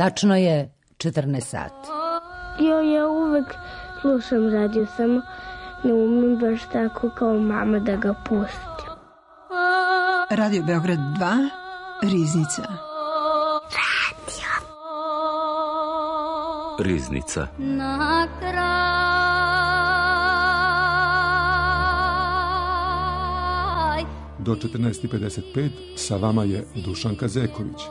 Tačno je 14 sati. Ja uvek slušam radio, samo ne umem baš tako kao mama da ga pustim. Radio Beograd 2, Riznica. Riznica. Na kraj do 14:55 sa vama je Dušanka Zeković.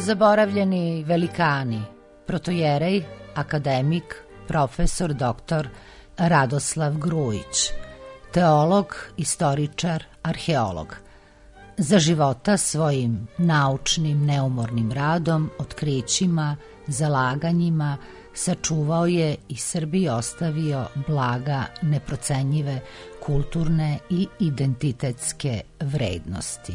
Zaboravljeni velikani, protojerej, akademik, profesor dr. Radoslav Grujić, teolog, istoričar, arheolog. Za života svojim naučnim, neumornim radom, otkrićima, zalaganjima, sačuvao je i Srbiji ostavio blaga neprocenjive kulturne i identitetske vrednosti.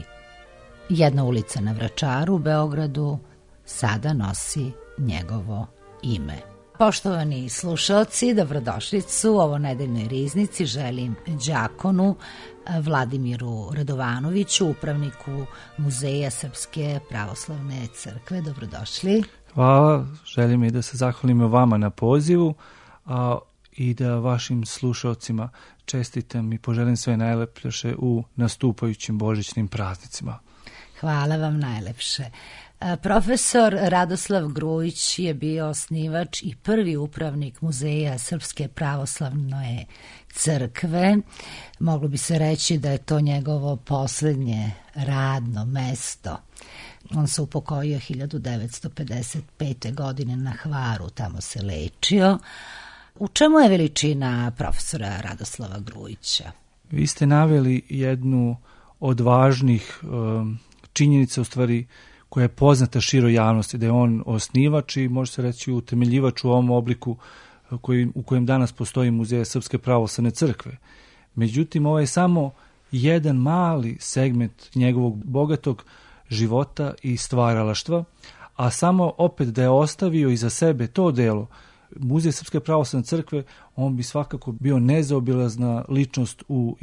Jedna ulica na Vračaru u Beogradu sada nosi njegovo ime. Poštovani slušalci, dobrodošlicu u ovo nedeljnoj riznici. Želim đakonu Vladimiru Radovanoviću, upravniku Muzeja Srpske pravoslavne crkve. Dobrodošli. Hvala, želim i da se zahvalim vama na pozivu i da vašim slušalcima čestitam i poželim sve najlepše u nastupajućim božićnim praznicima. Hvala vam najlepše. Profesor Radoslav Grujić je bio osnivač i prvi upravnik Muzeja Srpske pravoslavne crkve. Moglo bi se reći da je to njegovo posljednje radno mesto. On se upokojio 1955. godine na Hvaru, tamo se lečio. U čemu je veličina profesora Radoslava Grujića? Vi ste naveli jednu od važnih činjenica, u stvari, koja je poznata široj javnosti, da je on osnivač i može se reći utemeljivač u ovom obliku u kojem danas postoji Muzej Srpske pravoslavne crkve. Međutim, ovo je samo jedan mali segment njegovog bogatog života i stvaralaštva, a samo opet da je ostavio iza sebe to delo, Muzej Srpske pravoslavne crkve, on bi svakako bio nezaobilazna ličnost u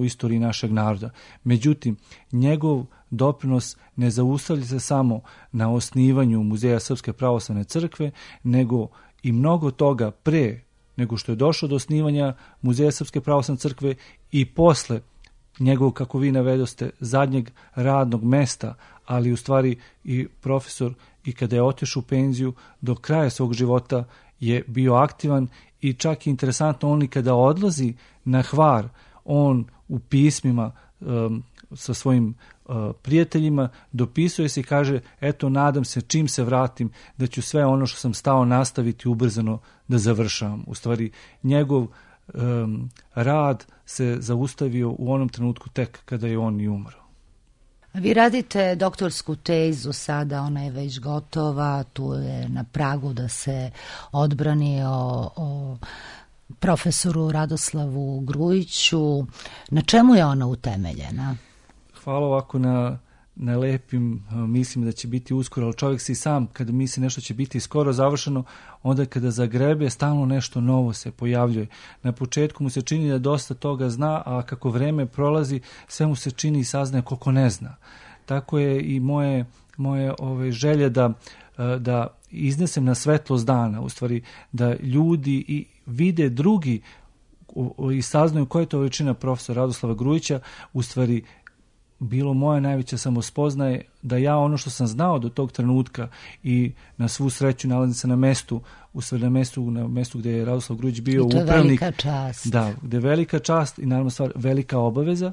istoriji našeg naroda. Međutim, njegov doprinos ne zaustavlja se samo na osnivanju Muzeja Srpske pravoslavne crkve, nego i mnogo toga pre nego što je došlo do osnivanja Muzeja Srpske pravoslavne crkve i posle njegovog, kako vi navedoste, zadnjeg radnog mesta, ali u stvari i profesor i kada je otišao u penziju do kraja svog života je bio aktivan i čak je interesantno, on i kada odlazi na Hvar, on u pismima sa svojim prijateljima dopisuje se i kaže, eto, nadam se čim se vratim da ću sve ono što sam stao nastaviti ubrzano da završavam. U stvari, njegov rad se zaustavio u onom trenutku tek kada je on i umro. Vi radite doktorsku tezu sada, ona je već gotova, tu je na pragu da se odbrani o profesoru Radoslavu Grujiću. Na čemu je ona utemeljena? Hvala ovako na lepim, mislim da će biti uskoro, ali čovjek se i sam kada misli nešto će biti skoro završeno, onda kada zagrebe stalno nešto novo se pojavljuje. Na početku mu se čini da dosta toga zna, a kako vreme prolazi sve mu se čini i saznaje koliko ne zna. Tako je i moje želje da iznesem na svetlost dana, u stvari da ljudi i vide drugi i saznaju koja je to veličina profesora Radoslava Grujića, u stvari bilo moja najveća samospoznaje da ja ono što sam znao do tog trenutka i na svu sreću nalazim se na mestu, u stvari na mestu gdje je Radoslav Grujić bio upravnik. I to je velika čast. Da, gdje je velika čast i naravno stvar velika obaveza,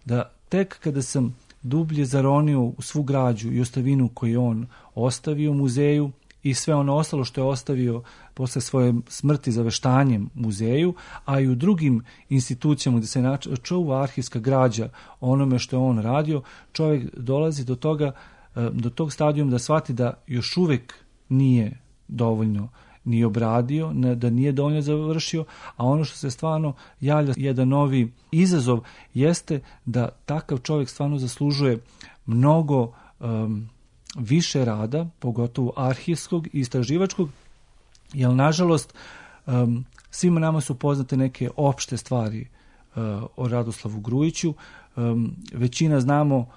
da tek kada sam dublje zaronio u svu građu i ostavinu koju on ostavio u muzeju i sve ono ostalo što je ostavio posle svoje smrti zaveštanjem muzeju, a i u drugim institucijama gdje se čuva arhivska građa onome što je on radio, čovjek dolazi do toga, do tog stadijuma da shvati da još uvijek nije dovoljno ni obradio, da nije dovoljno završio, a ono što se stvarno javlja jedan novi izazov jeste da takav čovjek stvarno zaslužuje mnogo više rada, pogotovo arhivskog i istraživačkog, jer nažalost svima nama su poznate neke opšte stvari o Radoslavu Grujiću. Većina znamo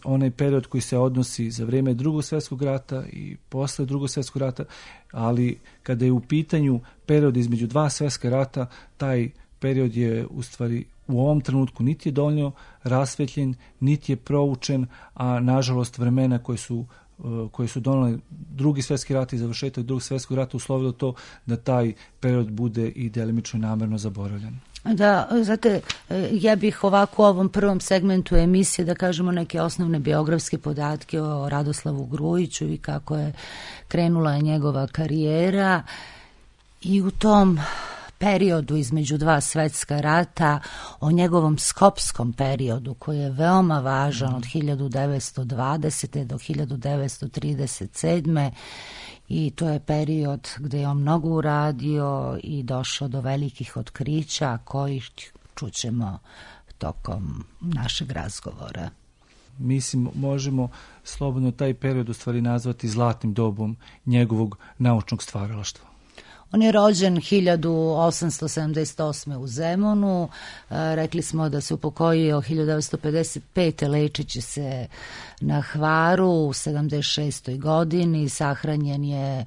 onaj period koji se odnosi za vrijeme Drugog svjetskog rata i posle Drugog svjetskog rata, ali kada je u pitanju period između dva svjetska rata, taj period je u stvari u ovom trenutku niti je dovoljno rasvetljen, niti je proučen, a nažalost vremena koje su donali Drugi svjetski rat i završetak Drugog svjetskog rata uslovilo to da taj period bude i delimično namjerno zaboravljen. Da, znate, ja bih ovako u ovom prvom segmentu emisije da kažemo neke osnovne biografske podatke o Radoslavu Grujiću i kako je krenula njegova karijera i u tom periodu između dva svjetska rata, o njegovom skopskom periodu koji je veoma važan od 1920. do 1937. I to je period gdje je on mnogo uradio i došao do velikih otkrića koji čućemo tokom našeg razgovora. Mislim, možemo slobodno taj period u stvari nazvati zlatnim dobom njegovog naučnog stvaralaštva. On je rođen 1878. u Zemunu, rekli smo da se upokojio 1955. lečeći se na Hvaru u 76. godini, sahranjen je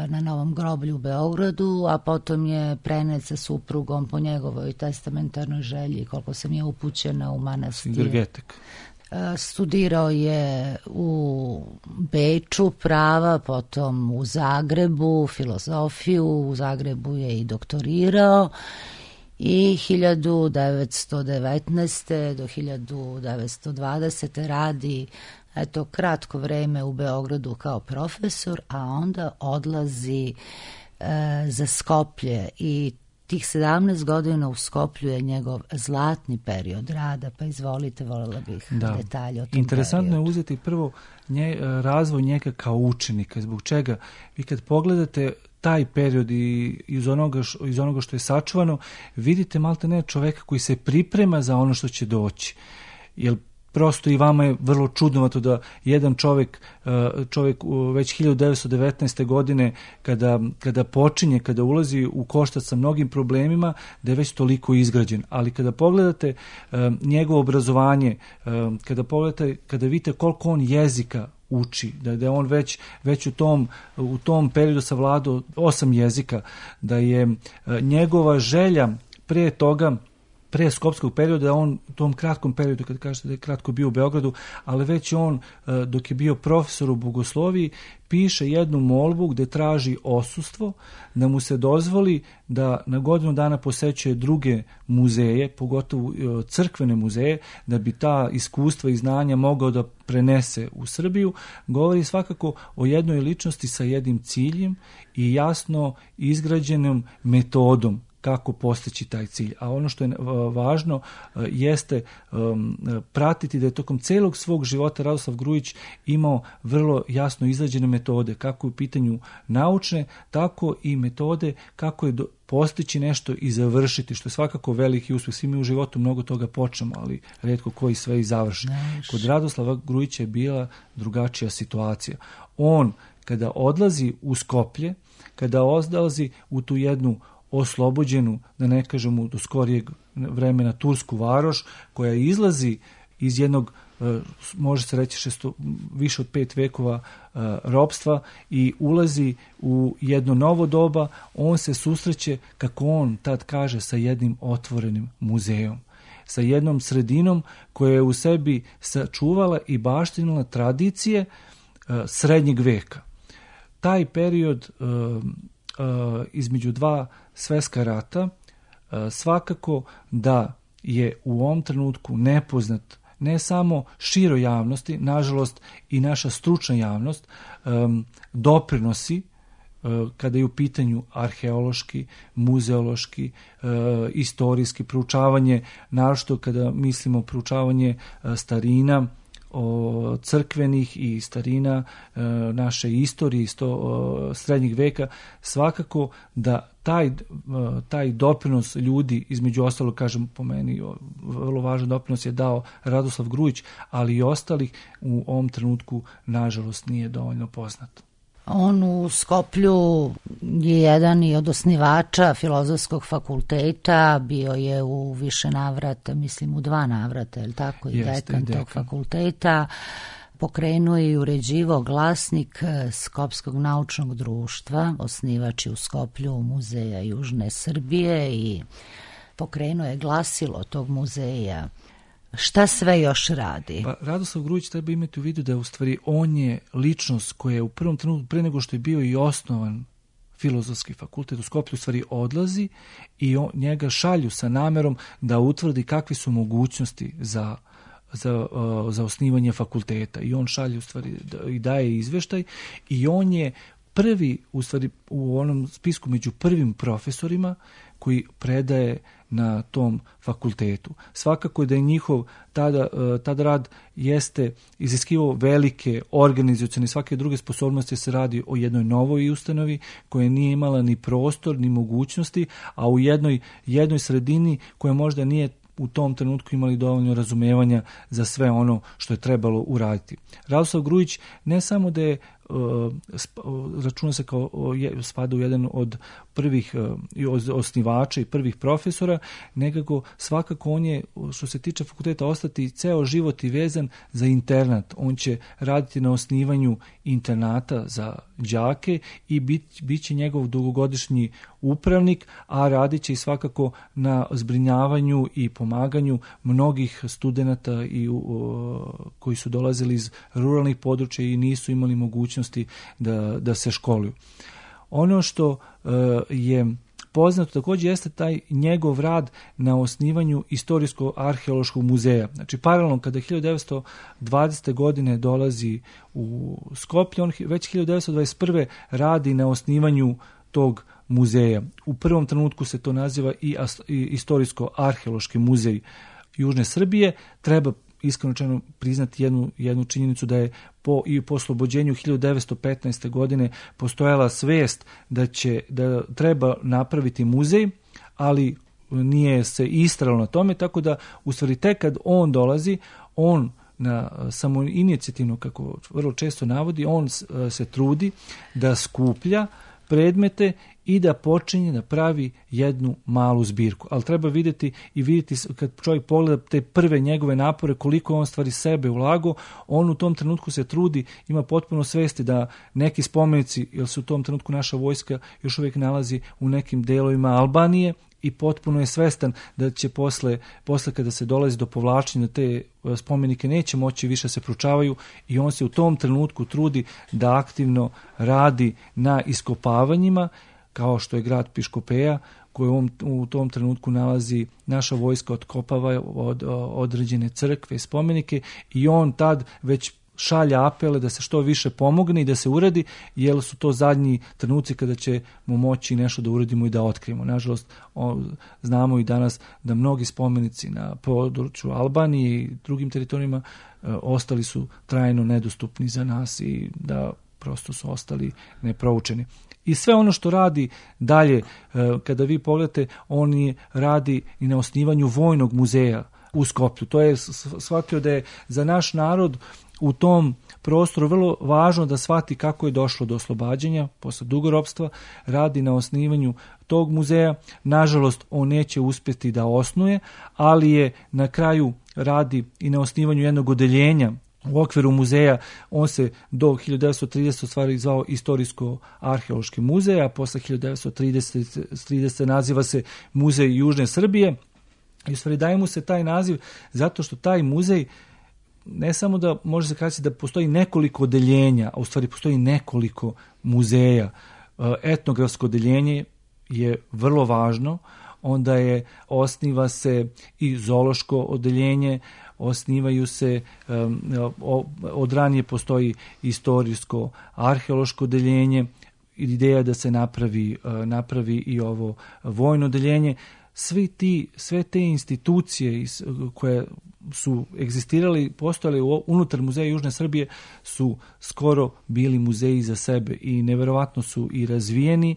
na Novom groblju u Beogradu, a potom je prenet sa suprugom po njegovoj testamentarnoj želji, koliko sam je upućena, u manastir. Studirao je u Beču prava, potom u Zagrebu filozofiju, u Zagrebu je i doktorirao i 1919. do 1920. radi kratko vreme u Beogradu kao profesor, a onda odlazi za Skoplje i tih 17 godina u Skoplju je njegov zlatni period rada, pa izvolite, voljela bih detalje o tom Interesantno periodu. Je uzeti prvo razvoj njega kao učenika. Zbog čega? Vi kad pogledate taj period i iz onoga što je sačuvano, vidite malte ne čoveka koji se priprema za ono što će doći. Jer prosto i vama je vrlo čudnovato da jedan čovjek već 1919. godine kada ulazi u koštac sa mnogim problemima, da je već toliko izgrađen. Ali kada pogledate njegovo obrazovanje, kada vidite koliko on jezika uči, da je on već u tom periodu savladao 8 jezika, da je njegova želja pre toga, pre skopskog perioda, da on u tom kratkom periodu, kad kažete da je kratko bio u Beogradu, ali već on, dok je bio profesor u bogosloviji, piše jednu molbu gde traži odsustvo, da mu se dozvoli da na godinu dana posećuje druge muzeje, pogotovo crkvene muzeje, da bi ta iskustva i znanja mogao da prenese u Srbiju. Govori svakako o jednoj ličnosti sa jednim ciljem i jasno izgrađenom metodom kako postići taj cilj. A ono što je važno jeste pratiti da je tokom celog svog života Radoslav Grujić imao vrlo jasno izrađene metode, kako u pitanju naučne, tako i metode kako je postići nešto i završiti, što je svakako veliki uspjeh. Svi mi u životu mnogo toga počnemo, ali rijetko koji sve i završi. Kod Radoslava Grujića je bila drugačija situacija. On, kada odlazi u Skoplje, kada odlazi u tu jednu oslobođenu, da ne kažemo do skorijeg vremena, tursku varoš, koja izlazi iz jednog, može se reći, više od 5 vekova ropstva i ulazi u jedno novo doba. On se susreće, kako on tad kaže, sa jednim otvorenim muzejom, sa jednom sredinom koja je u sebi sačuvala i baštinila tradicije srednjeg veka. Taj period između dva svjetska rata svakako da je u ovom trenutku nepoznat ne samo široj javnosti, nažalost i naša stručna javnost doprinosi kada je u pitanju arheološki, muzeološki, istorijski proučavanje, naročito kada mislimo proučavanje starina, crkvenih i starina naše istorije srednjeg veka, svakako da taj doprinos ljudi, između ostalog, kažem, po meni vrlo važan doprinos je dao Radoslav Grujić, ali i ostalih u ovom trenutku nažalost nije dovoljno poznat. On u Skoplju je jedan i od osnivača Filozofskog fakulteta, bio je u više navrata, mislim u 2 navrata, je li tako, i dekan tog fakulteta. Pokrenuo i uređivao glasnik Skopskog naučnog društva, osnivač je u Skoplju Muzeja Južne Srbije i pokrenuo je glasilo tog muzeja. Šta sve još radi? Pa, Radoslav Grujić treba imati u vidu da u stvari on je ličnost koja je u prvom trenutku, pre nego što je bio i osnovan Filozofski fakultet u Skoplju, u stvari odlazi i njega šalju sa namerom da utvrdi kakve su mogućnosti za osnivanje fakulteta. I on šalje u stvari i daje izveštaj i on je prvi, u stvari u onom spisku među prvim profesorima koji predaje na tom fakultetu. Svakako da je njihov tada rad jeste iziskivao velike organizacione i svake druge sposobnosti, se radi o jednoj novoj ustanovi koja nije imala ni prostor ni mogućnosti, a u jednoj sredini koja možda nije u tom trenutku imali dovoljno razumevanja za sve ono što je trebalo uraditi. Radoslav Grujić ne samo da je računa se kao spada u jedan od prvih osnivača i prvih profesora, nekako svakako on je, što se tiče fakulteta, ostati ceo život i vezan za internat. On će raditi na osnivanju internata za đake i bit će njegov dugogodišnji upravnik, a radit će i svakako na zbrinjavanju i pomaganju mnogih studenata koji su dolazili iz ruralnih područja i nisu imali mogućnosti da se školuju. Ono što je poznato također jeste taj njegov rad na osnivanju Istorijsko-arheološkog muzeja. Znači, paralelno kada 1920. godine dolazi u Skoplje, on već 1921. radi na osnivanju tog muzeja. U prvom trenutku se to naziva i Istorijsko-arheološki muzej Južne Srbije. Treba iskreno priznati jednu činjenicu da je po oslobođenju 1915. godine postojala svest da treba napraviti muzej, ali nije se istralo na tome, tako da u stvari tek kad on dolazi, on na samoinicijativno, kako vrlo često navodi, on se trudi da skuplja predmete i da počinje da pravi jednu malu zbirku. Ali treba vidjeti kad čovjek pogleda te prve njegove napore, koliko on stvari sebe ulagao, on u tom trenutku se trudi, ima potpuno svesti da neki spomenici, jer se u tom trenutku naša vojska još uvijek nalazi u nekim delovima Albanije, i potpuno je svestan da će posle kada se dolazi do povlačenja, te spomenike neće moći više se proučavaju, i on se u tom trenutku trudi da aktivno radi na iskopavanjima, kao što je grad Piškopeja, koju u tom trenutku nalazi naša vojska, otkopava od određene crkve i spomenike, i on tad već šalja apele da se što više pomogne i da se uradi, jer su to zadnji trenuci kada ćemo moći nešto da uradimo i da otkrijemo. Nažalost, znamo i danas da mnogi spomenici na području Albanije i drugim teritorijima ostali su trajno nedostupni za nas i da prosto su ostali neproučeni. I sve ono što radi dalje, kada vi pogledate, on radi i na osnivanju vojnog muzeja u Skoplju. To je shvatio da je za naš narod u tom prostoru vrlo važno da shvati kako je došlo do oslobađanja posle dugoropstva, radi na osnivanju tog muzeja. Nažalost, on neće uspjeti da osnuje, ali je na kraju radi i na osnivanju jednog odeljenja u okviru muzeja. On se do 1930 stvari zvao Istorijsko-arheološki muzej, a posle 1930 naziva se Muzej Južne Srbije. I u stvari daje mu se taj naziv zato što taj muzej ne samo da može se kazati da postoji nekoliko odeljenja, a u stvari postoji nekoliko muzeja. Etnografsko odeljenje je vrlo važno, onda osniva se i zoološko odeljenje, osnivaju se, od ranije postoji istorijsko arheološko odeljenje, ideja da se napravi i ovo vojno odeljenje. Sve te institucije koje su egzistirali, postojali unutar Muzeja Južne Srbije su skoro bili muzeji za sebe i neverovatno su i razvijeni.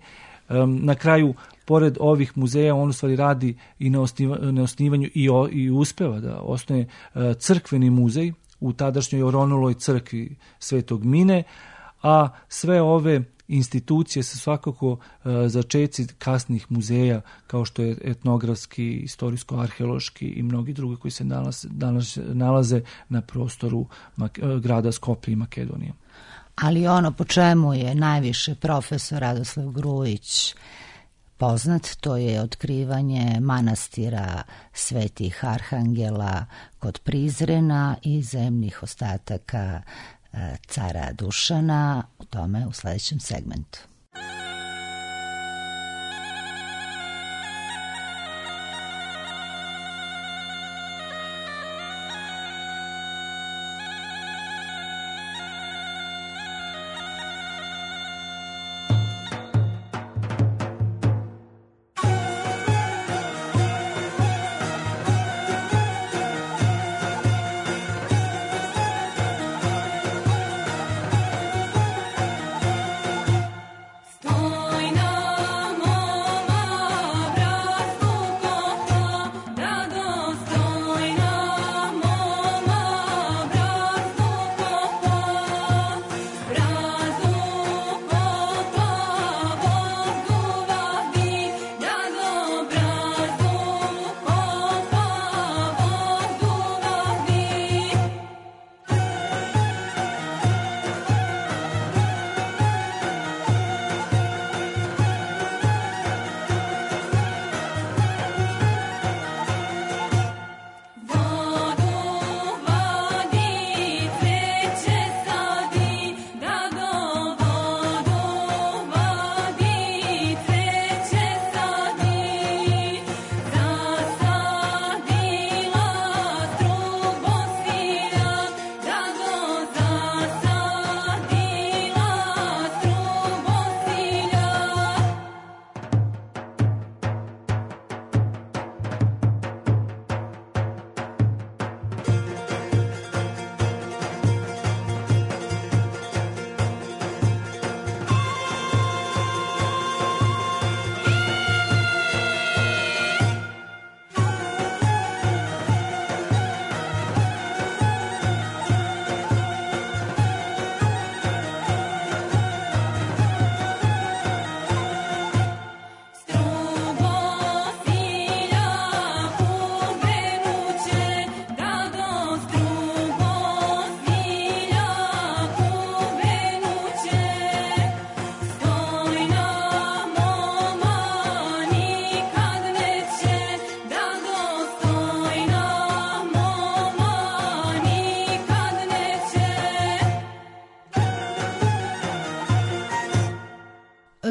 Na kraju, pored ovih muzeja, on u stvari radi i na osnivanju i uspeva da osnuje crkveni muzej u tadašnjoj oronuloj crkvi Svetog Mine, a sve ove institucije su svakako začeci kasnih muzeja kao što je etnografski, istorijsko-arheološki i mnogi drugi koji se nalaze na prostoru grada Skoplja i Makedonije. Ali ono po čemu je najviše profesor Radoslav Grujić poznat, to je otkrivanje manastira Svetih Arhangela kod Prizrena i zemnih ostataka cara Dušana, u tome u sledećem segmentu.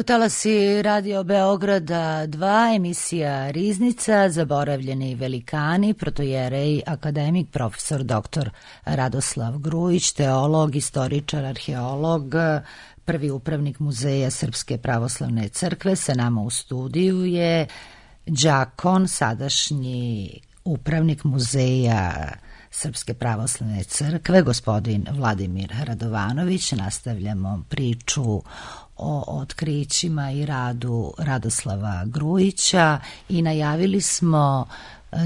Talasi Radio Beograda 2, emisija Riznica, zaboravljeni velikani, protojerej, akademik, profesor dr. Radoslav Grujić, teolog, istoričar, arheolog, prvi upravnik Muzeja Srpske pravoslavne crkve. Sa nama u studiju je đakon, sadašnji upravnik Muzeja Srpske pravoslavne crkve, gospodin Vladimir Radovanović. Nastavljamo priču o otkrićima i radu Radoslava Grujića i najavili smo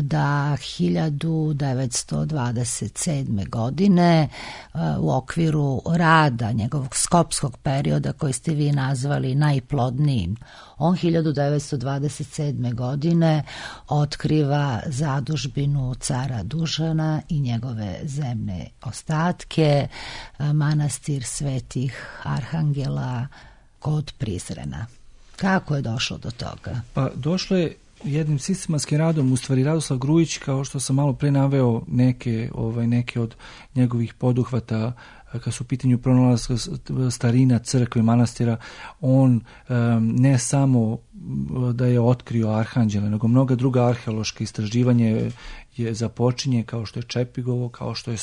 da 1927. godine u okviru rada njegovog skopskog perioda koji ste vi nazvali najplodnijim, on 1927. godine otkriva zadužbinu cara Dušana i njegove zemne ostatke, manastir Svetih Arhangela kod Prizrena. Kako je došlo do toga? Pa došlo je jednim sistematskim radom, u stvari Radoslav Grujić, kao što sam malo pre naveo neke od njegovih poduhvata kad su u pitanju pronalaska starina crkve, manastira, on ne samo da je otkrio Arhanđela, nego mnoga druga arheološka istraživanja je započinje, kao što je Čepigovo, kao što je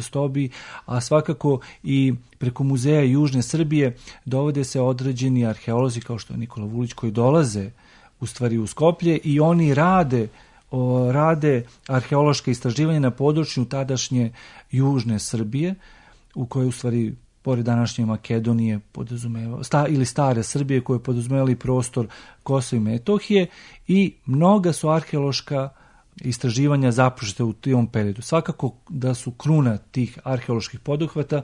Stobi, a svakako i preko Muzeja Južne Srbije dovode se određeni arheolozi kao što je Nikola Vulić, koji dolaze u stvari u Skoplje i oni rade arheološka istraživanja na području tadašnje Južne Srbije, u kojoj u stvari pored današnje Makedonije ili stare Srbije, koje podrazumevali prostor Kosova i Metohije, i mnoga su arheološka istraživanja započete u tom periodu. Svakako da su kruna tih arheoloških poduhvata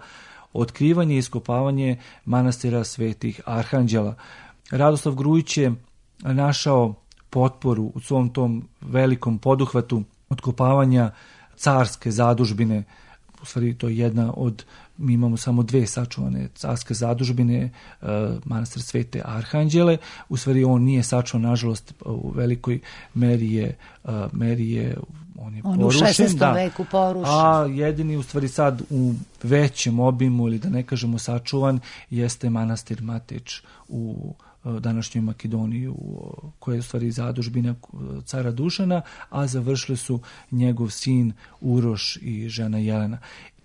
otkrivanje i iskopavanje manastira Svetih Arhanđela. Radoslav Grujić je našao potporu u svom tom velikom poduhvatu otkopavanja carske zadužbine. U stvari to je jedna od, mi imamo samo 2 sačuvane carske zadužbine, manastir Svete Arhanđele. U stvari on nije sačuvan, nažalost, u velikoj meri je on je porušen. U 16. veku porušen. A jedini u stvari sad u većem obimu, ili da ne kažemo sačuvan, jeste manastir Mateč u današnjoj Makedoniji, koja je u stvari zadužbina cara Dušana, a završili su njegov sin Uroš i žena Jelena.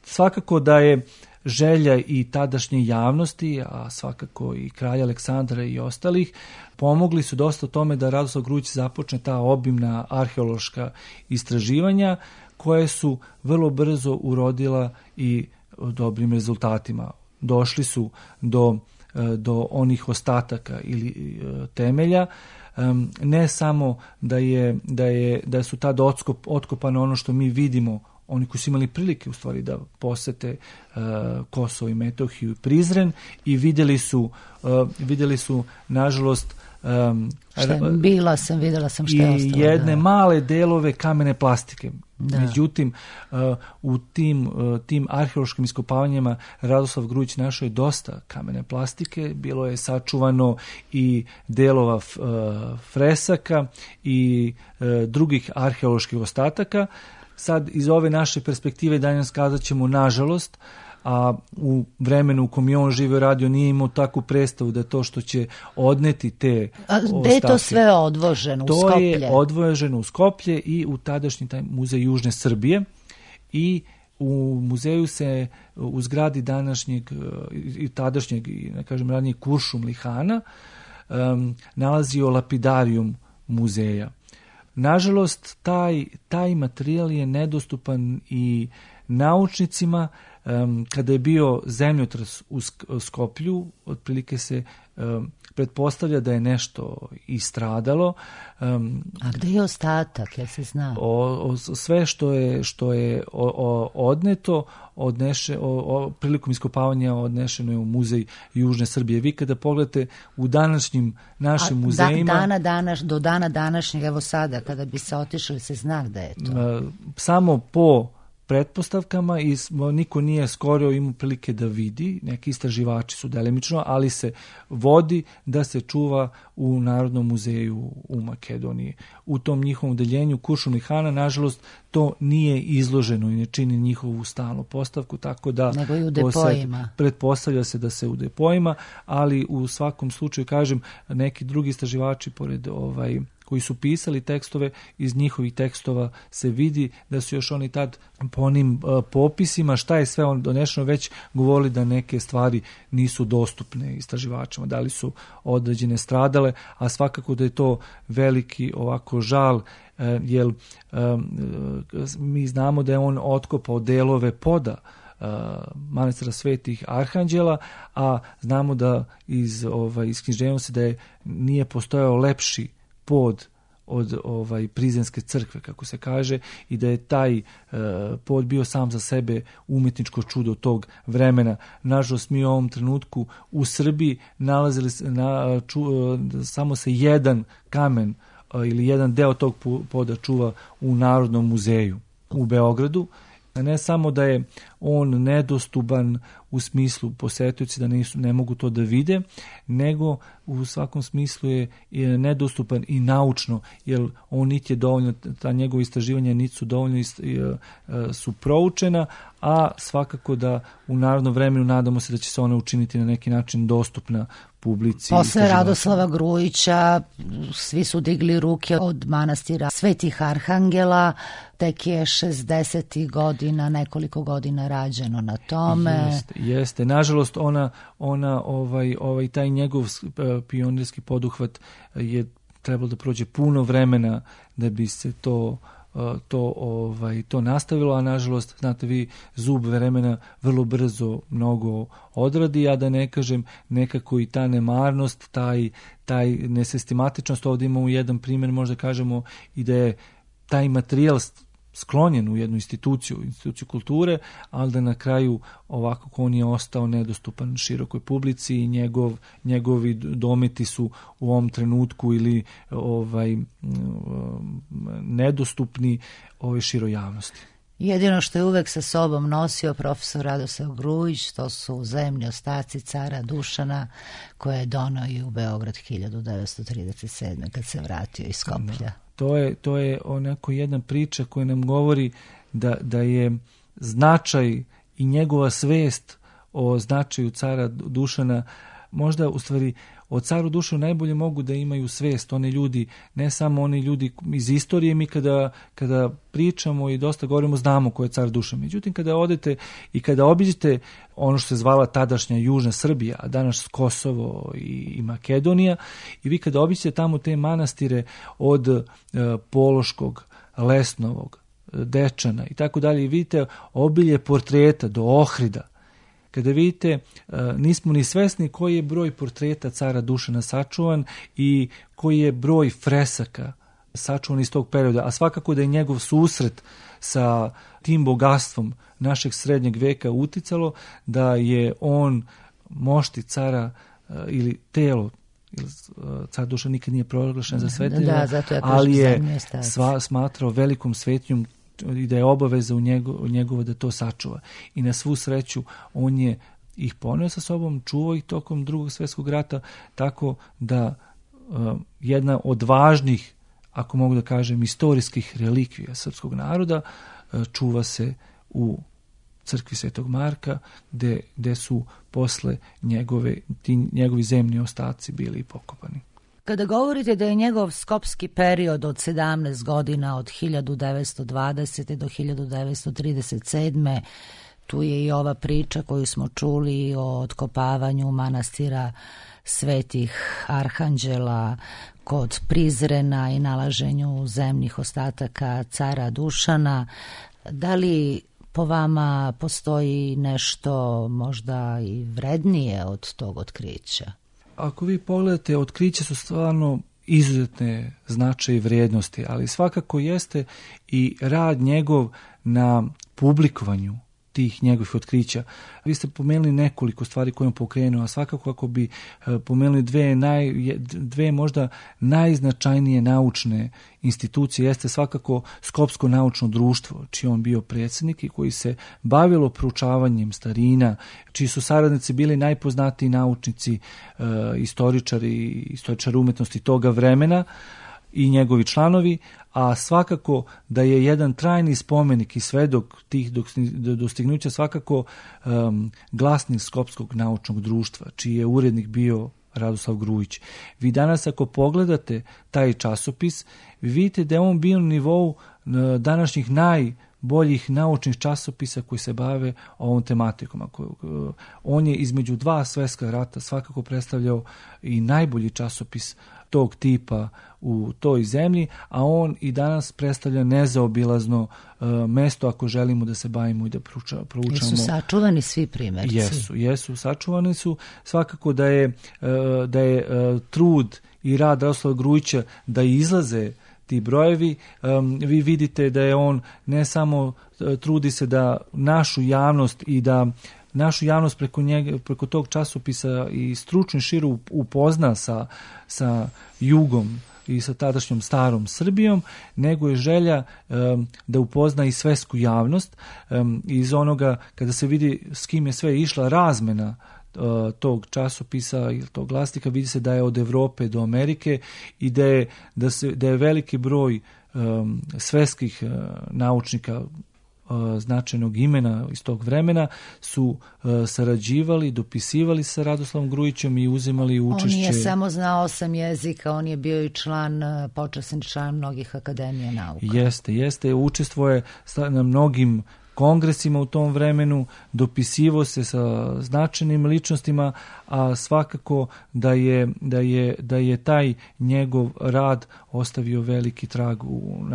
Svakako da je želja i tadašnje javnosti, a svakako i kralja Aleksandra i ostalih, pomogli su dosta tome da Radoslav Grujić započne ta obimna arheološka istraživanja, koje su vrlo brzo urodila i dobrim rezultatima. Došli su do onih ostataka ili temelja, ne samo da su tada otkopane ono što mi vidimo, oni koji su imali prilike u stvari da posete Kosovo i Metohiju i Prizren, i vidjeli su nažalost vidjela sam što je ostalo. I jedne male delove kamene plastike. Da. Međutim, u tim arheološkim iskopavanjima Radoslav Grujić našao je dosta kamene plastike, bilo je sačuvano i delova fresaka i drugih arheoloških ostataka. Sad, iz ove naše perspektive danas kazat ćemo nažalost, a u vremenu u kom je on živio radio nije imao takvu predstavu da to što će odneti te ostatke. Gde je to sve odvoženo? U Skoplje? To je odvoženo u Skoplje i u tadašnji taj muzej Južne Srbije, i u muzeju se u zgradi tadašnjeg, ne kažem ranije, Kuršumlihana nalazio lapidarijum muzeja. Nažalost, taj materijal je nedostupan i naučnicima. Kada je bio zemljotres u Skoplju, otprilike se pretpostavlja da je nešto istradalo. A gde je ostatak, jel se zna? Sve što je odneto, prilikom iskopavanja odnešeno je u muzej Južne Srbije. Vi kada pogledate u današnjim našim muzejima... Do dana današnjeg, evo sada, kada bi se otišli, se zna gde je to? Samo po pretpostavkama, i niko nije skoro imao prilike da vidi, neki istraživači su delimično, ali se vodi da se čuva u Narodnom muzeju u Makedoniji. U tom njihovom odeljenju Kuršumlihana, nažalost, to nije izloženo i ne čini njihovu stalnu postavku, tako da nego i u depojima. Pretpostavlja se da se u depojima, ali u svakom slučaju, kažem, neki drugi istraživači pored koji su pisali tekstove, iz njihovih tekstova se vidi da su još oni tad po onim popisima šta je sve on donešeno već govorili da neke stvari nisu dostupne istraživačima, da li su određene stradale, a svakako da je to veliki ovako žal, jer mi znamo da je on otkopao delove poda manastira Svetih Arhanđela, a znamo da iz književnosti da nije postojao lepši pod od Prizrenske crkve, kako se kaže, i da je taj pod bio sam za sebe umjetničko čudo tog vremena. Nažalost, mi u ovom trenutku u Srbiji nalazili samo se jedan kamen ili jedan deo tog poda čuva u Narodnom muzeju u Beogradu. Ne samo da je on nedostupan u smislu posetioci da ne mogu to da vide, nego u svakom smislu je nedostupan i naučno, jer on niti je dovoljno, ta njegova istraživanja niti su dovoljno su proučena, a svakako da u narodnom vremenu nadamo se da će se ona učiniti na neki način dostupna publici. Posle Radoslava Grujića svi su digli ruke od manastira Svetih Arhangela, tek je 60. godina, nekoliko godina rađeno na tome. Jeste. Nažalost, ona taj njegov pionirski poduhvat je trebalo da prođe puno vremena da bi se to nastavilo, a nažalost, znate vi, zub vremena vrlo brzo mnogo odradi, a da ne kažem nekako i ta nemarnost, taj nesistematičnost. Ovdje imamo jedan primjer, možda kažemo i da je taj materijal sklonjen u jednu instituciju kulture, ali da na kraju ovako on je ostao nedostupan širokoj publici i njegovi dometi su u ovom trenutku ili nedostupni široj javnosti. Jedino što je uvek sa sobom nosio profesor Radoslav Grujić, to su zemlji ostaci cara Dušana, koje je donao i u Beograd 1937. kad se vratio iz Skoplja. To je onako jedna priča koja nam govori da je značaj i njegova svest o značaju cara Dušana, možda u stvari o caru Dušanu najbolje mogu da imaju svest oni ljudi, ne samo oni ljudi iz istorije. Mi kada pričamo i dosta govorimo, znamo ko je car Dušan. Međutim, kada odete i kada obiđete ono što se zvala tadašnja Južna Srbija, a danas Kosovo i Makedonija, i vi kada obiđete tamo te manastire od Pološkog, Lesnovog, Dečana i tako dalje, i vidite obilje portreta do Ohrida, kada vidite, nismo ni svesni koji je broj portreta cara Dušana sačuvan i koji je broj fresaka sačuvan iz tog perioda, a svakako da je njegov susret sa tim bogatstvom našeg srednjeg veka uticalo da je on mošti cara ili telo, car Dušan nikad nije proglašen za svetinja, ali je smatrao velikom svetinjom i da je obaveza u njegovo da to sačuva. I na svu sreću on je ih poneo sa sobom, čuvao ih tokom Drugog svjetskog rata, tako da jedna od važnih, ako mogu da kažem, istorijskih relikvija srpskog naroda čuva se u crkvi Svetog Marka, gde su posle njegovi zemni ostaci bili pokopani. Kada govorite da je njegov skopski period od 17 godina, od 1920. do 1937. tu je i ova priča koju smo čuli o otkopavanju manastira Svetih Arhanđela kod Prizrena i nalaženju zemnih ostataka cara Dušana. Da li po vama postoji nešto možda i vrednije od tog otkrića? Ako vi pogledate, otkriće su stvarno izuzetne značaje i vrijednosti, ali svakako jeste i rad njegov na publikovanju tih njegovih otkrića. Vi ste pomenuli nekoliko stvari koje on pokrenuo, a svakako ako bi pomenuli dve možda najznačajnije naučne institucije, jeste svakako Skopsko naučno društvo, čiji on bio predsjednik i koji se bavilo proučavanjem starina, čiji su saradnici bili najpoznatiji naučnici, istoričari umetnosti toga vremena i njegovi članovi, a svakako da je jedan trajni spomenik i svedok tih dostignuća svakako glasnik Skopskog naučnog društva, čiji je urednik bio Radoslav Grujić. Vi danas ako pogledate taj časopis, vi vidite da je on bio na nivou današnjih najboljih naučnih časopisa koji se bave ovom tematikom. On je između dva svjetska rata svakako predstavljao i najbolji časopis tog tipa u toj zemlji, a on i danas predstavlja nezaobilazno mesto ako želimo da se bavimo i da proučamo. Jesu sačuvani svi primjerci? Jesu, sačuvani su. Svakako da je trud i rad Radoslava Grujića da izlaze ti brojevi. Vi vidite da je on ne samo trudi se da našu javnost i da našu javnost preko tog časopisa i stručno širu upozna sa jugom i sa tadašnjom starom Srbijom, nego je želja da upozna i svetsku javnost. Iz onoga kada se vidi s kim je sve išla razmena tog časopisa ili tog glasnika, vidi se da je od Evrope do Amerike i da je veliki broj svetskih naučnika značajnog imena iz tog vremena su sarađivali, dopisivali sa Radoslavom Grujićem i uzimali učešće. On je samo znao 8 jezika, on je bio i počasni član mnogih akademija nauka. Jeste, učestvuje na mnogim kongresima u tom vremenu, dopisivo se sa značajnim ličnostima, a svakako da je taj njegov rad ostavio veliki trag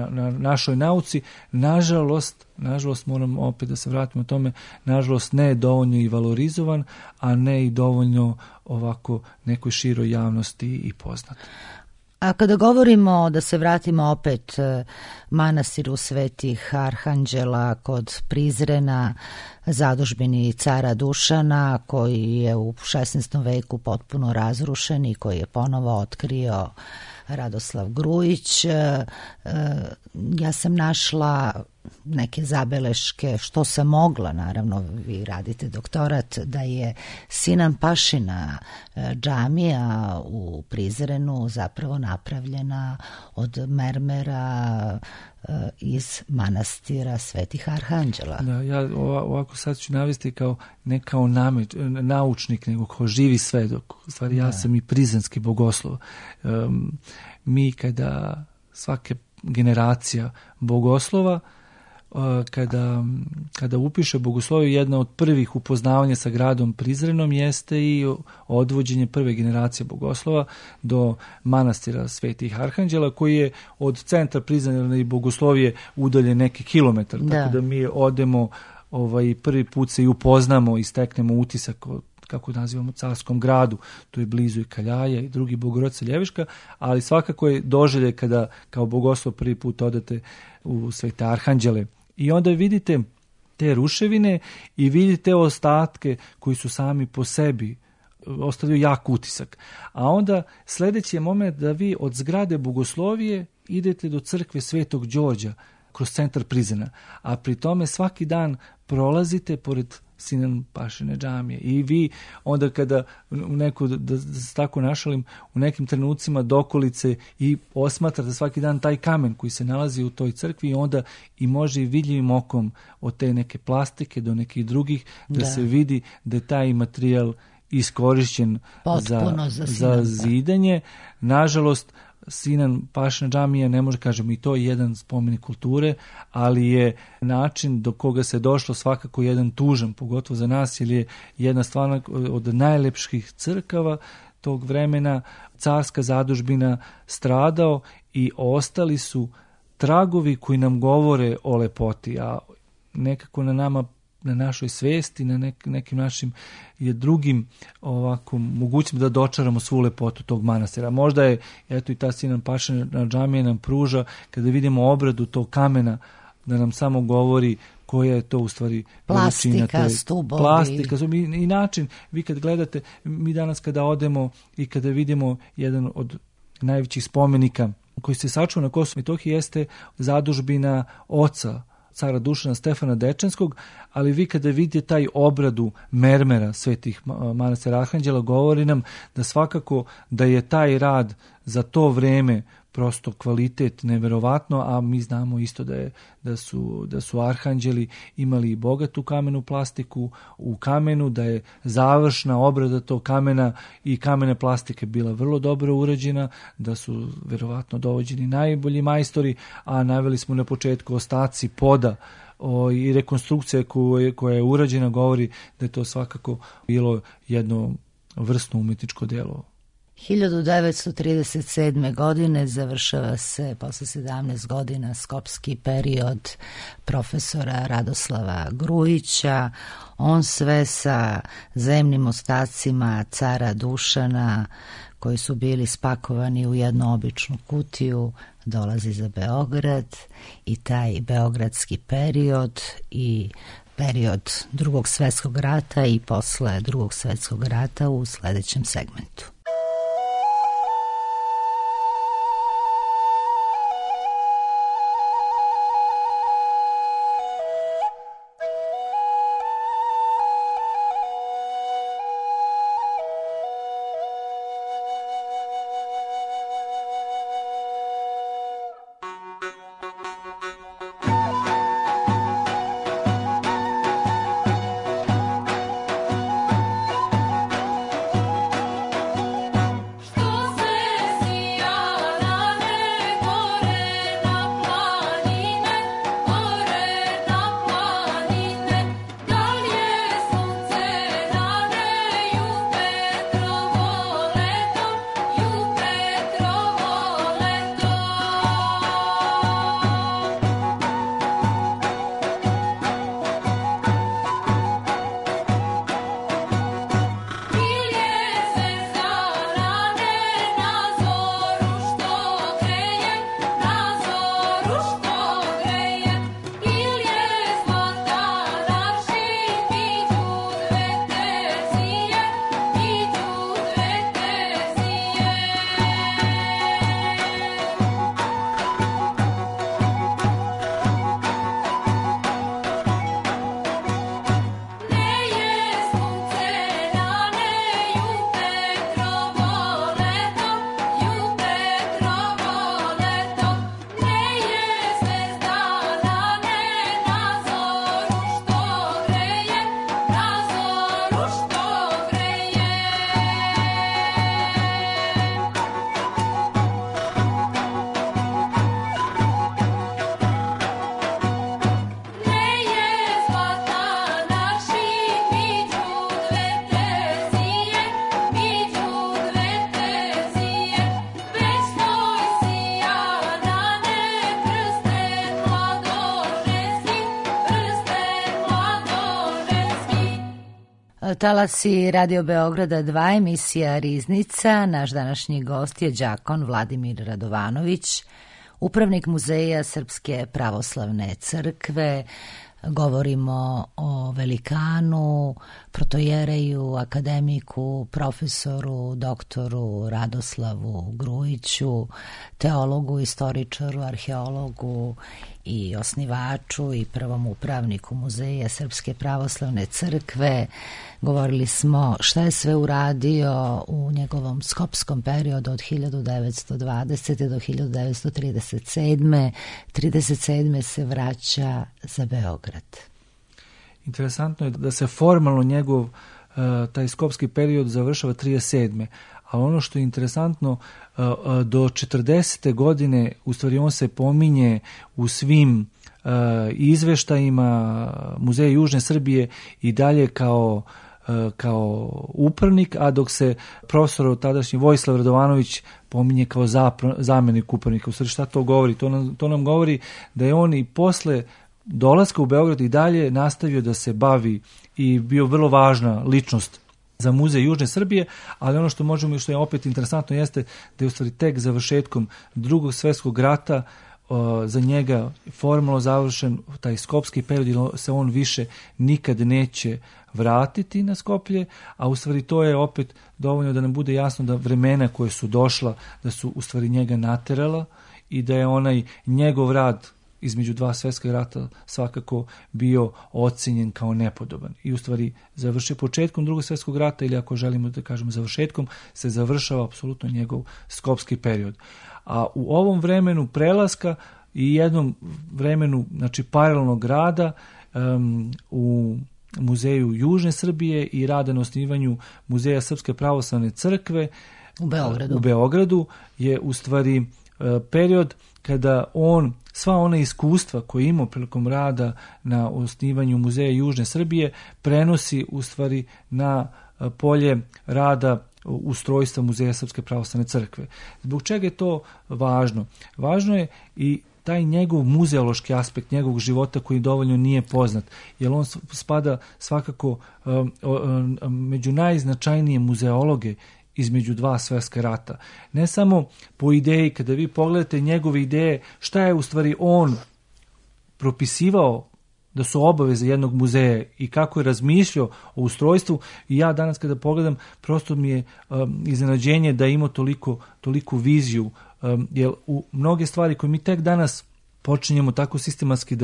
na našoj nauci. Nažalost, moram opet da se vratimo o tome, nažalost ne je dovoljno i valorizovan, a ne i dovoljno ovako nekoj široj javnosti i poznat. A kada govorimo, da se vratimo opet manastiru Svetih Arhanđela kod Prizrena, zadužbini cara Dušana, koji je u 16. veku potpuno razrušen i koji je ponovo otkrio Radoslav Grujić, ja sam našla neke zabeleške, što sam mogla, naravno vi radite doktorat, da je Sinan Pašina džamija u Prizrenu zapravo napravljena od mermera iz manastira Svetih Arhanđela. Da, ja ovako sad ću navesti ne kao naučnik, nego kao živi svedok. U stvari ja sam i prizrenski bogoslov. Mi kada svake generacija bogoslova kada upiše bogosloviju, jedna od prvih upoznavanja sa gradom Prizrenom jeste i odvođenje prve generacije bogoslova do manastira Svetih Arhanđela, koji je od centra Prizrena i bogoslovije udaljen neki kilometar. Tako da mi odemo prvi put se i upoznamo i steknemo utisak kako nazivamo carskom gradu, tu je blizu i Kaljaja i drugi Bogorodica Ljeviška, ali svakako je doželje kada kao bogoslov prvi put odete u Svete Arhanđele. I onda vidite te ruševine i vidite ostatke koji su sami po sebi ostavljaju jak utisak. A onda sljedeći je moment da vi od zgrade bogoslovije idete do crkve Svetog Đorđa kroz centar Prizrena, a pri tome svaki dan prolazite pored Sinan Pašine džamije. I vi onda kada da se tako našalim, u nekim trenucima dokolice i osmatrate svaki dan taj kamen koji se nalazi u toj crkvi, i onda i može i vidljivim okom od te neke plastike do nekih drugih da se vidi da je taj materijal iskorišćen za zidanje. Nažalost, Sinan Pašina džamija, ne može kažemo i to je jedan spomenik kulture, ali je način do koga se došlo svakako jedan tužan, pogotovo za nas, jer je jedna stvarno od najlepših crkava tog vremena, carska zadužbina, stradao i ostali su tragovi koji nam govore o lepoti, a nekako na nama, na našoj svesti, na nekim našim je drugim ovako mogućim da dočaramo svu lepotu tog manastira. Možda je, eto i ta Sinan Pašina džamija nam pruža, kada vidimo obradu tog kamena, da nam samo govori koja je to u stvari plastika, stubovi. I način, vi kad gledate, mi danas kada odemo i kada vidimo jedan od najvećih spomenika koji se sačuva na Kosovu i Metohiji jeste zadužbina oca cara Dušana Stefana Dečanskog, ali vi kada vidite taj obradu mermera Svetih manastira Arhanđela, govori nam da svakako da je taj rad za to vreme prosto kvalitet neverovatno, a mi znamo isto da su arhanđeli imali bogatu kamenu plastiku u kamenu, da je završna obrada tog kamena i kamene plastike bila vrlo dobro urađena, da su verovatno dovođeni najbolji majstori, a naveli smo na početku ostaci poda i rekonstrukcija koja je urađena govori da je to svakako bilo jedno vrsno umetničko delo. 1937. godine završava se posle 17 godina skopski period profesora Radoslava Grujića. On sve sa zemnim ostacima cara Dušana, koji su bili spakovani u jednu običnu kutiju, dolazi za Beograd i taj beogradski period i period Drugog svjetskog rata i posle Drugog svjetskog rata u sljedećem segmentu. Talasi Radio Beograda 2, emisija Riznica. Naš današnji gost je đakon Vladimir Radovanović, upravnik Muzeja Srpske pravoslavne crkve. Govorimo o velikanu, protojereju, akademiku, profesoru, doktoru Radoslavu Grujiću, teologu, istoričaru, arheologu i osnivaču i prvom upravniku Muzeja Srpske pravoslavne crkve. Govorili smo šta je sve uradio u njegovom skopskom periodu od 1920. do 1937. 37. se vraća za Beograd. Interesantno je da se formalno njegov taj skopski period završava 37. A ono što je interesantno, do 40. godine u stvari on se pominje u svim izveštajima Muzeja Južne Srbije i dalje kao upravnik, a dok se profesor tadašnji Vojislav Radovanović pominje kao zamjenik upravnika. U stvari šta to govori? To nam govori da je on i posle dolaska u Beograd i dalje nastavio da se bavi i bio vrlo važna ličnost za Muzej Južne Srbije, ali ono što možemo i što je opet interesantno jeste da je u stvari tek završetkom Drugog svjetskog rata za njega formalno završen taj skopski period, se on više nikad neće vratiti na Skoplje, a u stvari to je opet dovoljno da nam bude jasno da vremena koje su došla, da su u stvari njega naterala i da je onaj njegov rad između dva svjetska rata svakako bio ocenjen kao nepodoban. I u stvari početkom Drugog svjetskog rata, ili ako želimo da kažemo završetkom, se završava apsolutno njegov skopski period. A u ovom vremenu prelaska i jednom vremenu, znači paralelnog rada u Muzeju Južne Srbije i rada na osnivanju Muzeja Srpske pravoslavne crkve u Beogradu je u stvari period kada on sva ona iskustva koje je imao prilikom rada na osnivanju Muzeja Južne Srbije prenosi u stvari na polje rada ustrojstva Muzeja Srpske pravoslavne crkve. Zbog čega je to važno? Važno je i taj njegov muzeološki aspekt njegovog života koji dovoljno nije poznat, jer on spada svakako među najznačajnije muzeologe između dva svjetska rata. Ne samo po ideji, kada vi pogledate njegove ideje, šta je u stvari on propisivao da su obaveze jednog muzeja i kako je razmišljao o ustrojstvu, i ja danas kada pogledam, prosto mi je iznenađenje da ima toliku viziju, jer u mnoge stvari koje mi tek danas počinjemo tako sistematski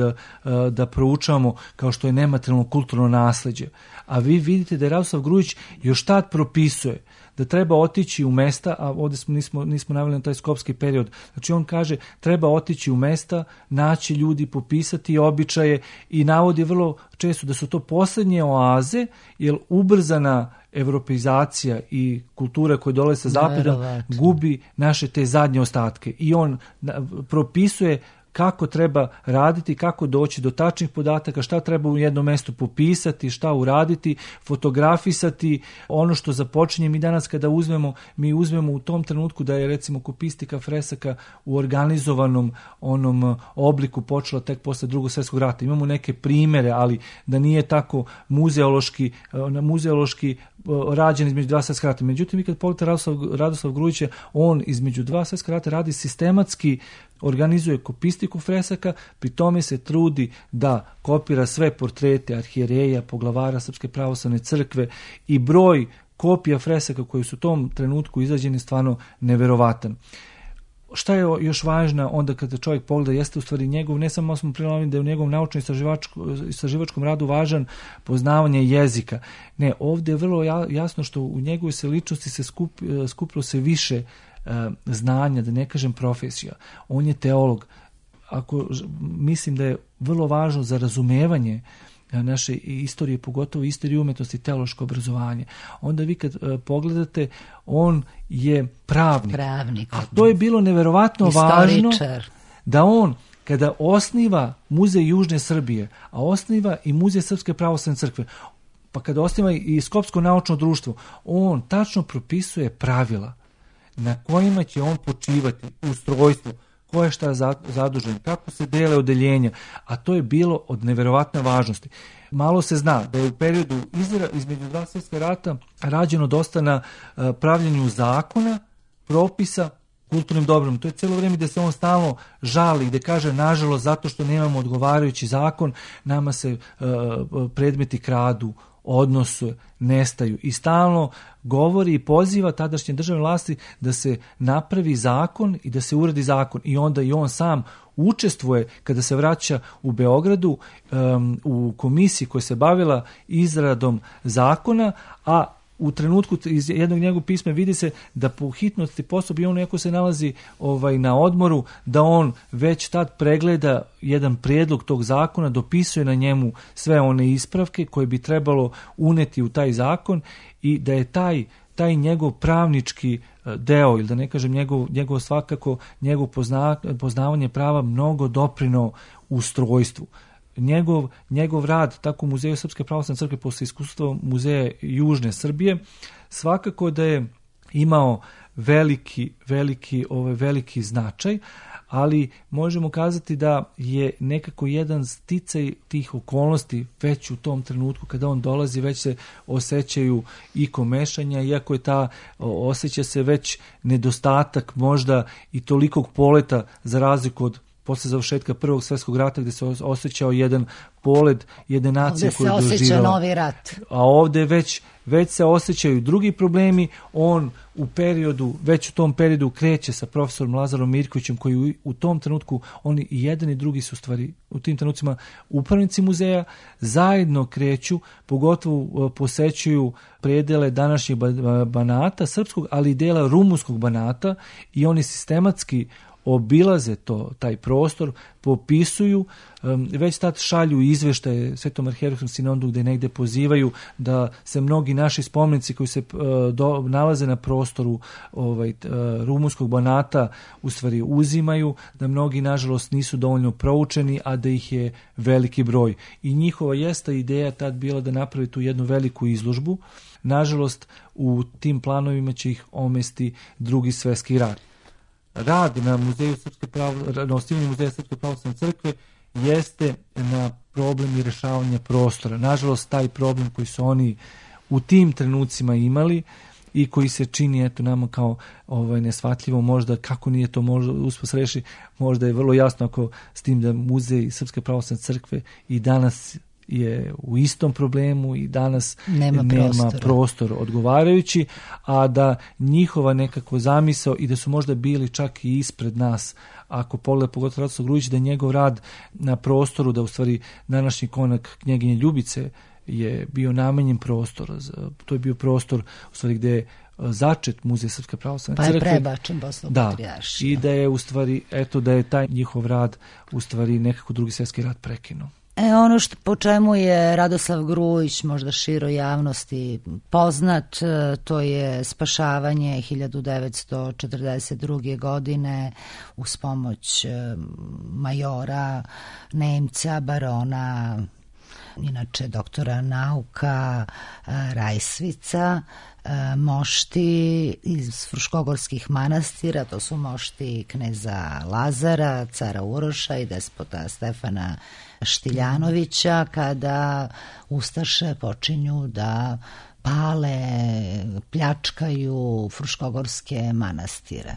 da proučavamo, kao što je nematerijalno kulturno nasleđe. A vi vidite da je Radoslav Grujić još tad propisuje da treba otići u mesta, a ovdje nismo naveli na taj skopski period. Znači on kaže treba otići u mesta, naći ljudi, popisati običaje i navodi vrlo često da su to posljednje oaze, jer ubrzana evropeizacija i kultura koja dolazi sa zapada gubi naše te zadnje ostatke. I on propisuje kako treba raditi, kako doći do tačnih podataka, šta treba u jednom mjestu popisati, šta uraditi, fotografisati. Ono što započinje mi danas kada uzmemo u tom trenutku da je recimo kopistika fresaka u organizovanom onom obliku počela tek posle Drugog svjetskog rata. Imamo neke primjere, ali da nije tako muzeološki rađen između dva svjetska rata. Međutim, vi kad pogledate Radoslav Grujića, on između dva svjetska rata radi sistematski, organizuje kopistiku fresaka, pri tome se trudi da kopira sve portrete arhijereja, poglavara Srpske pravoslavne crkve i broj kopija fresaka koji su u tom trenutku izađeni stvarno neverovatan. Šta je još važno onda kada čovjek pogleda jeste u stvari njegov, ne samo smo prilovili da je u njegovom naučno-istraživačkom radu važan poznavanje jezika. Ne, ovdje je vrlo jasno što u njegovoj se ličnosti se skupilo se više znanja, da ne kažem profesija. On je teolog. Mislim da je vrlo važno za razumevanje naše istorije, pogotovo istorije umetnosti, teološko obrazovanje. Onda vi kad pogledate, on je pravnik. A to je bilo neverovatno važno da on, kada osniva Muzej Južne Srbije, a osniva i Muzej Srpske pravoslavne crkve, pa kada osniva i Skopsko naučno društvo, on tačno propisuje pravila na kojima će on počivati u ustrojstvu ko je šta zadužen, kako se dele odeljenja, a to je bilo od neverovatne važnosti. Malo se zna da je u periodu između dva svjetska rata rađeno dosta na pravljenju zakona, propisa, kulturnim dobrom. To je cijelo vrijeme da se on stalno žali, gde kaže nažalost zato što nemamo odgovarajući zakon, nama se predmeti kradu, odnose nestaju. I stalno govori i poziva tadašnje državne vlasti da se napravi zakon i da se uredi zakon. I onda i on sam učestvuje kada se vraća u Beogradu u komisiji koja se bavila izradom zakona, a u trenutku iz jednog njegovog pisma vidi se da po hitnosti postupka i on neko se nalazi na odmoru, da on već tad pregleda jedan prijedlog tog zakona, dopisuje na njemu sve one ispravke koje bi trebalo uneti u taj zakon i da je taj njegov pravnički deo, ili da ne kažem njegov svakako njegov poznavanje prava mnogo doprineo ustrojstvu. Njegov rad tako u Muzeju Srpske pravoslavne crkve posle iskustva Muzeja Južne Srbije svakako da je imao veliki značaj, ali možemo kazati da je nekako jedan sticaj tih okolnosti već u tom trenutku kada on dolazi, već se osjećaju i komešanja, iako je osjeća se već nedostatak možda i tolikog poleta za razliku od posle završetka Prvog svjetskog rata gdje se osjećao jedan polet jedne nacije koju doživjela. Ovdje se osjeća novi rat. A ovdje već se osjećaju drugi problemi. On već u tom periodu kreće sa profesorom Lazarom Mirkovićem koji u tom trenutku, oni i jedan i drugi su stvari u tim trenucima upravnici muzeja, zajedno kreću, pogotovo posećuju predele današnjeg Banata, srpskog, ali i dela rumunskog Banata i oni sistematski obilaze taj prostor, popisuju, već tad šalju izveštaje Svetom arhijerejskom sinodu gdje negdje pozivaju da se mnogi naši spomenici koji se nalaze na prostoru rumunskog Banata u stvari uzimaju, da mnogi nažalost nisu dovoljno proučeni, a da ih je veliki broj. I njihova jeste ideja tad bila da napravi tu jednu veliku izložbu. Nažalost, u tim planovima će ih omesti Drugi svjetski rat. Rad na osnivanju Muzeja Srpske pravoslavne crkve jeste na problem i rešavanje prostora. Nažalost, taj problem koji su oni u tim trenucima imali i koji se čini nama kao nesvatljivo, možda kako nije to možda uspos reši, možda je vrlo jasno ako s tim da Muzej Srpske pravoslavne crkve i danas je u istom problemu i danas nema prostor odgovarajući, a da njihova nekako zamisao i da su možda bili čak i ispred nas, ako pogleda pogotovo Radoslav Grujić, da njegov rad na prostoru, da u stvari današnji konak Knjeginje Ljubice je bio namenjen prostor, to je bio prostor u stvari gdje je začet Muzej Srpske pravoslavne crkve. Pa je prebačen posle Patrijaršije. I da je u stvari, da je taj njihov rad u stvari nekako Drugi svjetski rat prekinuo. Ono po čemu je Radoslav Grujić možda široj javnosti poznat, to je spašavanje 1942. godine uz pomoć majora, Nemca, barona, inače doktora nauka Rajsvica, mošti iz fruškogorskih manastira, to su mošti kneza Lazara, cara Uroša i despota Stefana Štiljanovića, kada ustaše počinju da pale, pljačkaju fruškogorske manastire.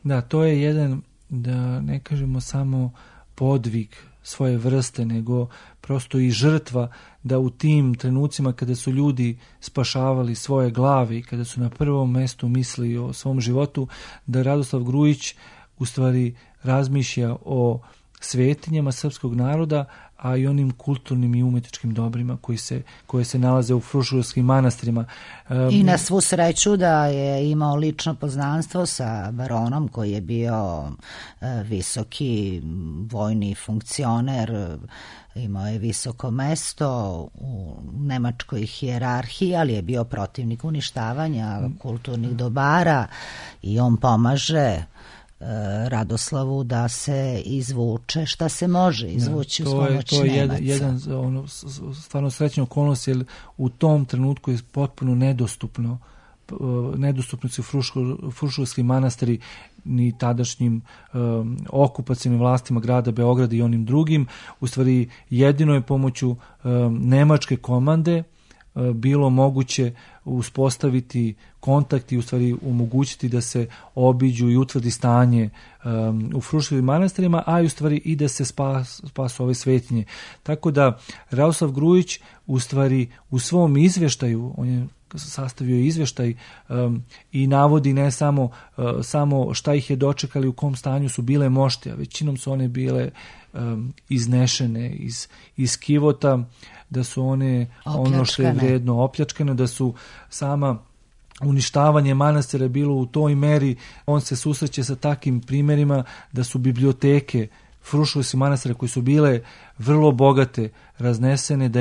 Da, to je jedan, da ne kažemo samo podvig svoje vrste, nego prosto i žrtva, da u tim trenucima kada su ljudi spašavali svoje glave i kada su na prvom mjestu mislili o svom životu, da Radoslav Grujić u stvari razmišlja o svetinjama srpskog naroda, a i onim kulturnim i umjetničkim dobrima koje se nalaze u fruškogorskim manastirima. I na svu sreću da je imao lično poznanstvo sa baronom koji je bio visoki vojni funkcioner, imao je visoko mesto u nemačkoj hijerarhiji, ali je bio protivnik uništavanja kulturnih dobara i on pomaže Radoslavu da se izvuče šta se može izvući uz pomoć Nemaca. To je jedan stvarno srećna okolnost, jer u tom trenutku je potpuno nedostupni su fruškogorski manastiri, ni tadašnjim okupacijnim vlastima grada Beograda i onim drugim. U stvari jedino je pomoću nemačke komande bilo moguće uspostaviti kontakt i u stvari omogućiti da se obiđu i utvrdi stanje u Fruševim manastirima, a i u stvari i da se spasu ove svetinje. Tako da Radoslav Grujić u stvari u svom izveštaju, on je sastavio izveštaj i navodi ne samo šta ih je dočekali, u kom stanju su bile mošte, a većinom su one bile iznešene iz kivota, da su one ono što je vredno opljačkane, da su sama uništavanje manastira bilo u toj meri. On se susreće sa takvim primjerima da su biblioteke Fruševskih manastira koje su bile vrlo bogate raznesene, da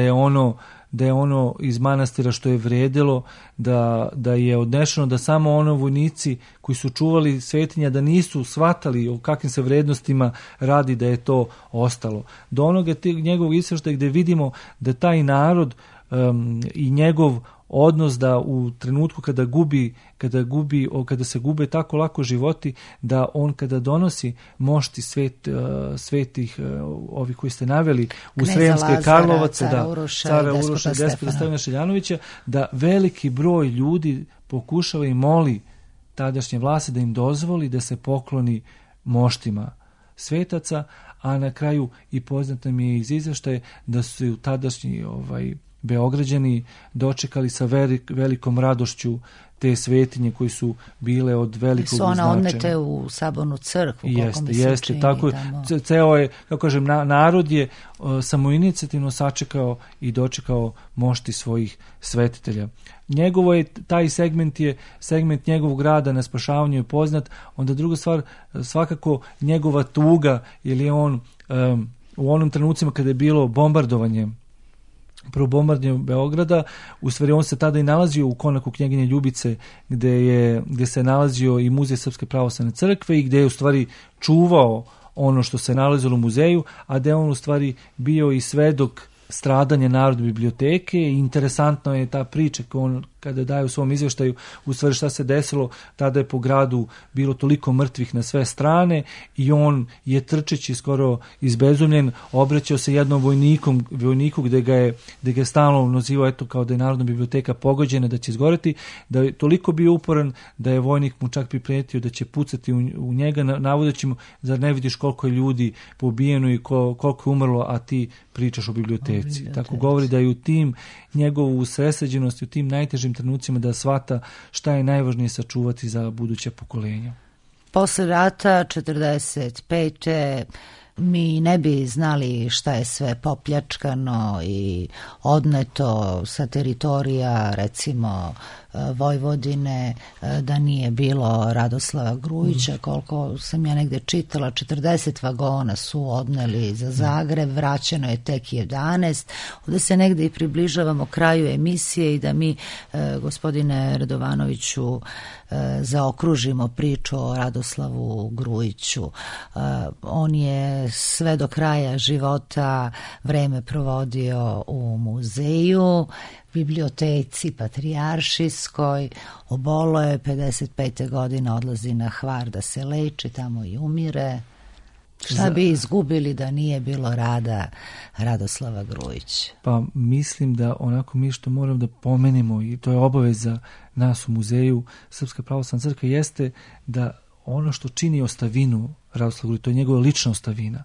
je ono iz manastira što je vredilo, da je odnešeno, da samo ono vojnici koji su čuvali svetinja da nisu shvatali o kakvim se vrednostima radi, da je to ostalo. Do onoga njegovog izveštaja gdje vidimo da taj narod i njegov odnos da u trenutku kada se gube tako lako životi, da on kada donosi mošti svetih ovih koji ste naveli u Sremske Karlovaca, cara Uroša, despota Stevana Šeljanovića, da veliki broj ljudi pokušava i moli tadašnje vlasti da im dozvoli da se pokloni moštima svetaca, a na kraju i poznato mi je iz izveštaje da su tadašnji Beograđani dočekali sa velikom radošću te svetinje koji su bile od velikog značaja. Su ona odnete u Sabornu crkvu, koliko mi se čini. Tako ceo je, kako kažem, narod je samoinicijativno sačekao i dočekao mošti svojih svetitelja. Njegovo je, taj segment njegovog rada na spašavanju je poznat. Onda druga stvar, svakako njegova tuga, jer je on u onom trenucima kada je bilo bombardovanje, prvo bombardovanje Beograda, u stvari on se tada i nalazio u konaku knjeginje Ljubice, gdje se nalazio i muzej Srpske pravoslavne crkve i gdje je u stvari čuvao ono što se nalazilo u muzeju, a gdje on u stvari bio i svedok stradanje Narodne biblioteke. I interesantno je ta priča kada daje u svom izvještaju u stvari šta se desilo. Tada je po gradu bilo toliko mrtvih na sve strane i on je trčeći skoro izbezumljen obraćao se jednom vojniku gdje ga je stalno nazivao kao da je Narodna biblioteka pogođena, da će izgoreti, da je toliko bio uporan da je vojnik mu čak priprijetio da će pucati u njega, navodeći mu, zar ne vidiš koliko je ljudi pobijeno i koliko je umrlo, a ti pričaš o biblioteci. Tako govori da je u tim njegovu usredsređenosti, u tim najtežim trenucima da shvata šta je najvažnije sačuvati za buduće pokolenja. Posle rata 45. mi ne bi znali šta je sve popljačkano i odneto sa teritorija, recimo Vojvodine, da nije bilo Radoslava Grujića. Koliko sam ja negde čitala, 40 vagona su odneli za Zagreb, vraćeno je tek 11. Ovdje se negde i približavamo kraju emisije i da mi, gospodine Radovanoviću, zaokružimo priču o Radoslavu Grujiću. On je sve do kraja života vreme provodio u muzeju, biblioteci patrijaršijskoj, obolo je 55. godine, odlazi na Hvar da se leči, tamo i umire. Šta bi izgubili da nije bilo rada Radoslava Grujića? Pa mislim da onako mi što moram da pomenemo, i to je obaveza nas u muzeju Srpska pravoslavna crkva, jeste da ono što čini ostavinu Radoslava Grujića, to je njegova lična ostavina,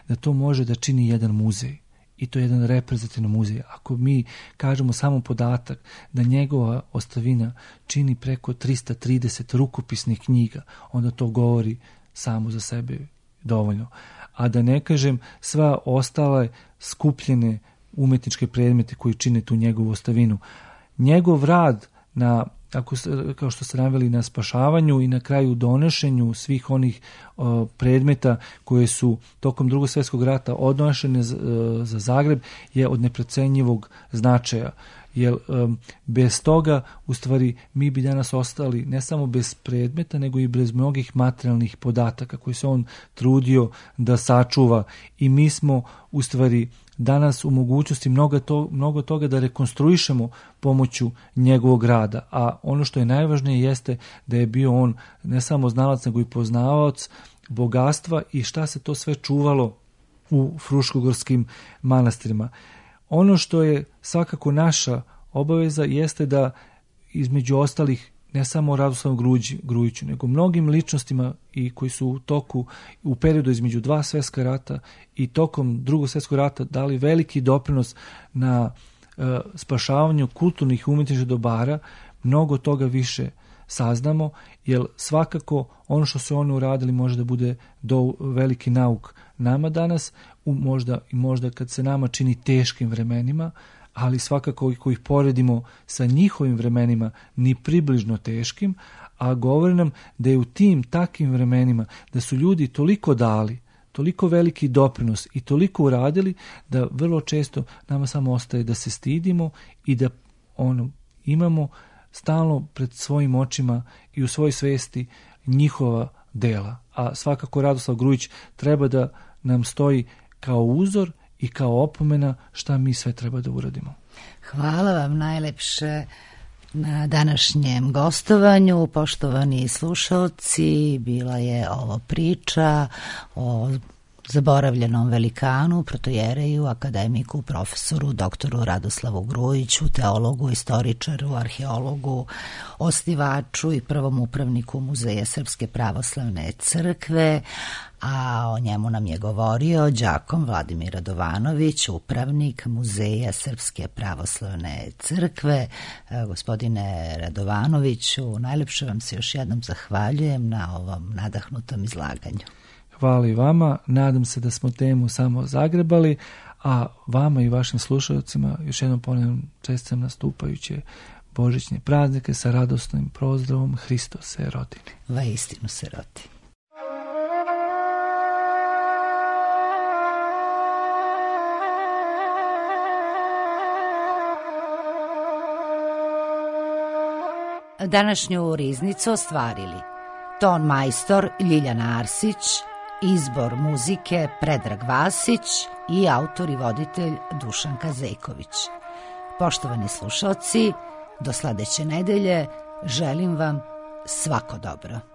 da to može da čini jedan muzej. I to je jedan reprezentativan muzej. Ako mi kažemo samo podatak da njegova ostavina čini preko 330 rukopisnih knjiga, onda to govori samo za sebe dovoljno. A da ne kažem sva ostale skupljene umetničke predmete koji čine tu njegovu ostavinu. Njegov rad na, kao što ste naveli, na spašavanju i na kraju donošenju svih onih predmeta koje su tokom Drugog svjetskog rata odnošene za Zagreb je od neprocenjivog značaja. Jer bez toga u stvari mi bi danas ostali ne samo bez predmeta, nego i bez mnogih materijalnih podataka koji se on trudio da sačuva. I mi smo u stvari danas u mogućnosti mnogo toga da rekonstruišemo pomoću njegovog rada. A ono što je najvažnije jeste da je bio on ne samo znalac, nego i poznavaoc bogatstva i šta se to sve čuvalo u fruškogorskim manastirima. Ono što je svakako naša obaveza jeste da između ostalih ne samo Radoslavu Grujiću, nego mnogim ličnostima i koji su u periodu između dva svjetska rata i tokom Drugog svjetskog rata dali veliki doprinos na spašavanju kulturnih i umjetničkih dobara, mnogo toga više saznamo, jer svakako ono što su oni uradili može da bude veliki nauk nama danas, možda kad se nama čini teškim vremenima, ali svakako ako ih poredimo sa njihovim vremenima ni približno teškim, a govori nam da je u tim takvim vremenima da su ljudi toliko dali, toliko veliki doprinos i toliko uradili da vrlo često nama samo ostaje da se stidimo i da imamo stalno pred svojim očima i u svojoj svesti njihova dela. A svakako Radoslav Grujić treba da nam stoji kao uzor i kao opomena šta mi sve treba da uradimo. Hvala vam najlepše na današnjem gostovanju, poštovani slušalci. Bila je ovo priča o zaboravljenom velikanu, protojereju, akademiku, profesoru, doktoru Radoslavu Grujiću, teologu, istoričaru, arheologu, osnivaču i prvom upravniku Muzeja Srpske pravoslavne crkve, a o njemu nam je govorio đakon Vladimir Radovanović, upravnik Muzeja Srpske pravoslavne crkve. Gospodine Radovanoviću, najlepše vam se još jednom zahvaljujem na ovom nadahnutom izlaganju. Hvala i vama, nadam se da smo temu samo zagrebali, a vama i vašim slušalcima još jednom ponavljam čestitam nastupajuće božićne praznike sa radosnim pozdravom Hristos se rodi. Vaistinu se rodi. Današnju riznicu ostvarili ton majstor Ljiljana Arsić, izbor muzike Predrag Vasić i autor i voditelj Dušan Kazejković. Poštovani slušalci, do sledeće nedelje želim vam svako dobro.